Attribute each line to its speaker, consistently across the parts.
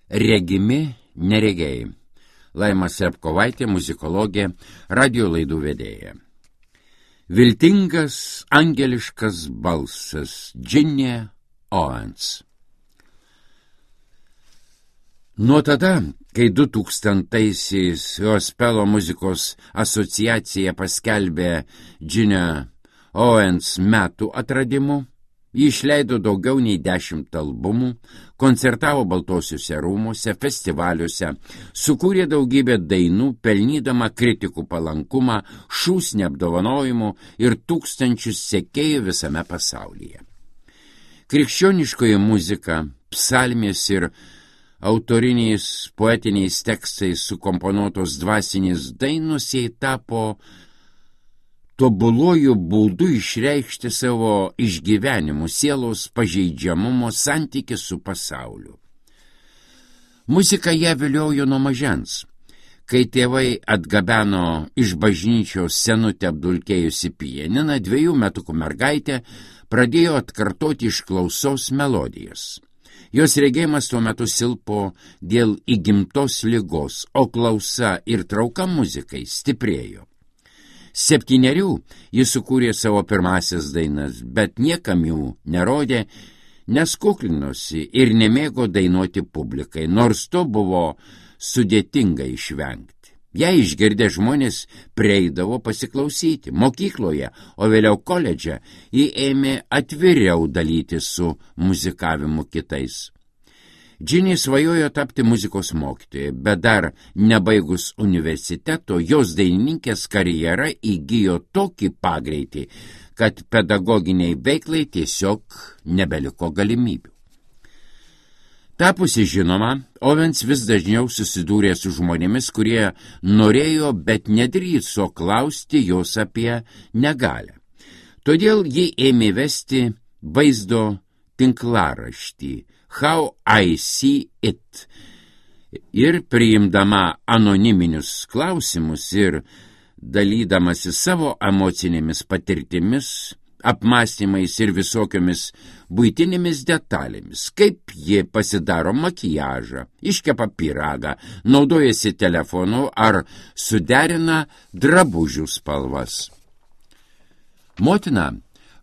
Speaker 1: Regimi neregiai. Laima Slepkovaitė, muzikologė, radio laidų vedėja. Viltingas, angeliškas balsas Ginny Owens. Nuo tada, kai 2000-aisiais Gospelo muzikos asociacija paskelbė Ginny Owens metų atradimu, ji išleido daugiau nei 10 albumų, koncertavo Baltuosiuose rūmuose, festivaliuose, sukūrė daugybę dainų, pelnydama kritikų palankumą, šūsnį apdovanojimų ir tūkstančius sekėjų visame pasaulyje. Krikščioniškoji muzika, psalmės ir autoriniais poetiniais tekstais sukomponuotos dvasinės dainos jai tapo tobuluoju būdu išreikšti savo išgyvenimų, sielos pažeidžiamumo santykį su pasauliu. Muzika ją viliojo nuo mažens. Kai tėvai atgabeno iš bažnyčios senutę apdulkėjusi pianiną, 2 metukų mergaitė pradėjo atkartoti iš klausos melodijas. Jos regėjimas tuo metu silpo dėl įgimtos ligos, o klausa ir trauka muzikai stiprėjo. 7 jis sukūrė savo pirmasias dainas, bet niekam jų nerodė, nes kuklinosi ir nemėgo dainuoti publikai, nors to buvo sudėtinga išvengti. Ją išgirdę žmonės prieidavo pasiklausyti. Mokykloje, o vėliau koledže, ji ėmė atviriau dalyti su muzikavimu kitais. Ginny svajojo tapti muzikos mokytoja, bet dar nebaigus universiteto, jos dainininkės karjera įgijo tokį pagreitį, kad pedagoginiai veiklai tiesiog nebeliko galimybių. Tapusi žinoma, Owens vis dažniau susidūrė su žmonėmis, kurie norėjo, bet nedrįso klausti jos apie negalią. Todėl ji ėmė vesti vaizdo tinklaraštį How I See It ir priimdama anoniminius klausimus ir dalydamasi savo emocinėmis patirtimis, apmąstymais ir visokiomis buitinėmis detalėmis, kaip ji pasidaro makiažą, iškepa pyragą, naudojasi telefonu ar suderina drabužių spalvas. Motina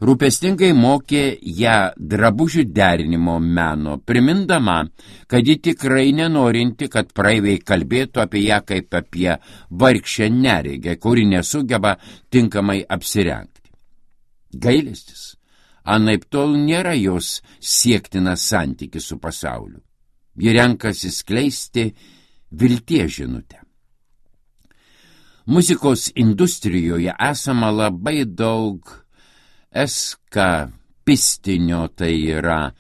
Speaker 1: rūpestingai mokė ją drabužių derinimo meno, primindama, kad ji tikrai nenorinti, kad praeiviai kalbėtų apie ją kaip apie vargšę neregę, kuri nesugeba tinkamai apsirengti. Gailestis, anaiptol nėra jos siektinas santykis su pasauliu. Ji renkasi skleisti vilties žinutę. Muzikos industrijoje esama labai daug eskapistinio, tai yra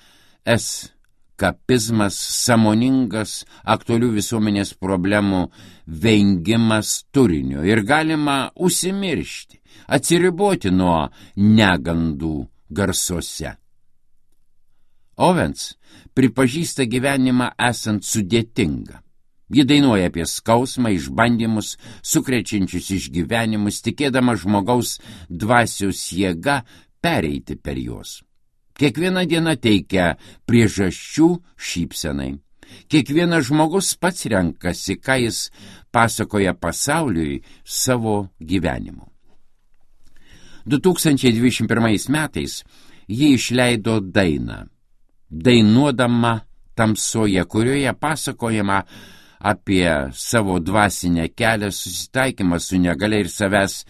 Speaker 1: eskapizmas, sąmoningas aktualių visuomenės problemų vengimas turinio ir galima užsimiršti, atsiriboti nuo negandų garsuose. Owens pripažįsta gyvenimą esant sudėtingą. Ji dainuoja apie skausmą, išbandymus, sukrečiančius išgyvenimus, tikėdama žmogaus dvasios jėga pereiti per juos. Kiekviena diena teikia priežasčių šypsenai. Kiekvienas žmogus pats renkasi, ką jis pasakoja pasauliui savo gyvenimu. 2021 metais ji išleido dainą, Dainuodama tamsoje, kurioje pasakojama apie savo dvasinę kelią, susitaikymą su negalia ir savęs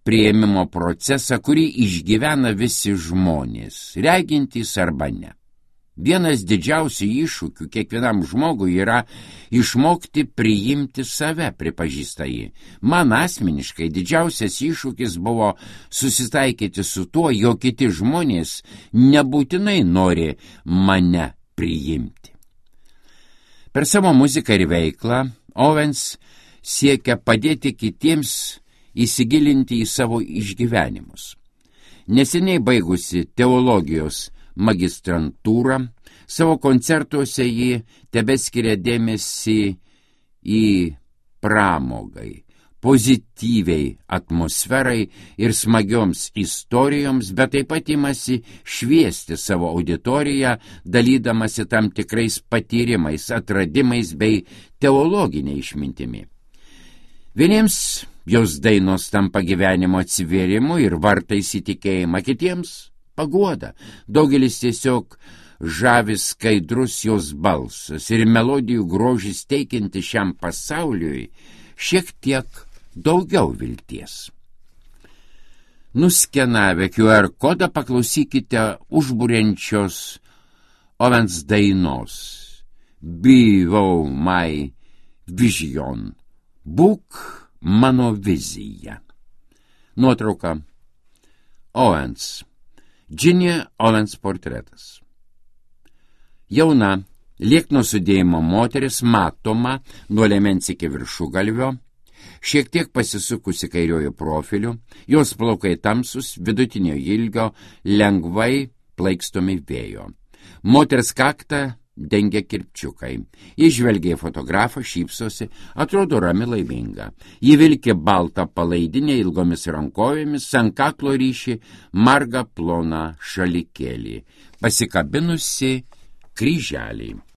Speaker 1: priėmimo procesą, kurį išgyvena visi žmonės, regintys arba ne. Vienas didžiausių iššūkių kiekvienam žmogui yra išmokti priimti save, pripažįsta ji. Man asmeniškai didžiausias iššūkis buvo susitaikyti su tuo, jog kiti žmonės nebūtinai nori mane priimti. Per savo muziką ir veiklą Owens siekia padėti kitiems įsigilinti į savo išgyvenimus. Neseniai baigusi teologijos magistrantūrą, savo koncertuose ji tebeskiria dėmesį į pramogai, pozityviai atmosferai ir smagioms istorijoms, bet taip pat imasi šviesti savo auditoriją, dalydamasi tam tikrais patyrimais, atradimais bei teologinė išmintimi. Vieniems jos dainos tampa gyvenimo atsivėrimu ir vartais į tikėjimą, kitiems paguoda. Daugelis tiesiog žavis skaidrus jos balsas ir melodijų grožis teikianti šiam pasauliui šiek tiek daugiau vilties. Nuskenavę QR kodą paklausykite užburiančios Owens dainos Be My Vision. Būk mano vizija. Nuotrauka Owens. Ginny Owens portretas. Jauna, liekno sudėjimo moteris matoma nuo liemens iki viršugalvio, šiek tiek pasisukusi kairiojo profiliu, jos plaukai tamsus, vidutinio ilgio, lengvai plaikstomi vėjo. Moters kaktą dengia kirpčiukai. Ji žvelgia į fotografą, šypsosi, atrodo rami laiminga. Ji vilki baltą palaidinę ilgomis rankovėmis, ant kaklo ryši margą ploną šalikėlį, pasikabinusi kryželį.